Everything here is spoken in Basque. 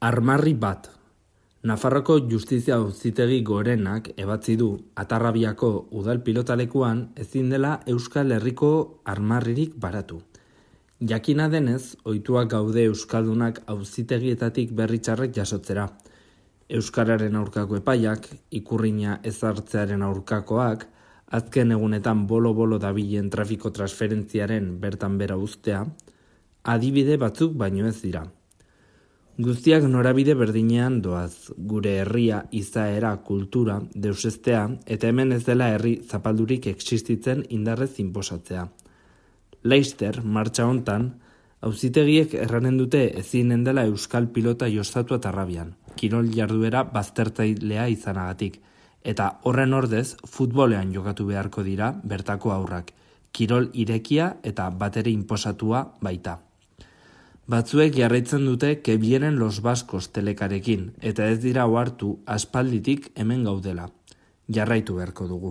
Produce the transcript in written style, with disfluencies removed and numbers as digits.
Armarri bat. Nafarroko Justizia Auzitegi Gorenak ebatzi du Atarrabiako udal pilotalekuan ezin dela Euskal Herriko armarririk baratu. Jakina denez, ohituak gaude euskaldunak auzitegietatik berri txarrak jasotzera. Euskararen aurkako epaiak, ikurrina ezartzearen aurkakoak, azken egunetan bolo-bolo dabilen trafiko transferentziaren bertan bera uztea, adibide batzuk baino ez dira. Guztiak norabide berdinean doaz, gure herria, izaera, kultura, deusestea, eta hemen ez dela herri zapaldurik existitzen indarrez inposatzea. Laster, martxa hontan, auzitegiek erranen dute ezinen dela euskal pilota jostatu Atarrabian, kirol jarduera baztertzailea izanagatik, eta horren ordez futbolean jokatu beharko dira bertako haurrak, kirol irekia eta batere inposatua baita. Batzuek jarraitzen dute que vienen los vascos telekarekin, eta ez dira ohartu aspalditik hemen gaudela. Jarraitu beharko dugu.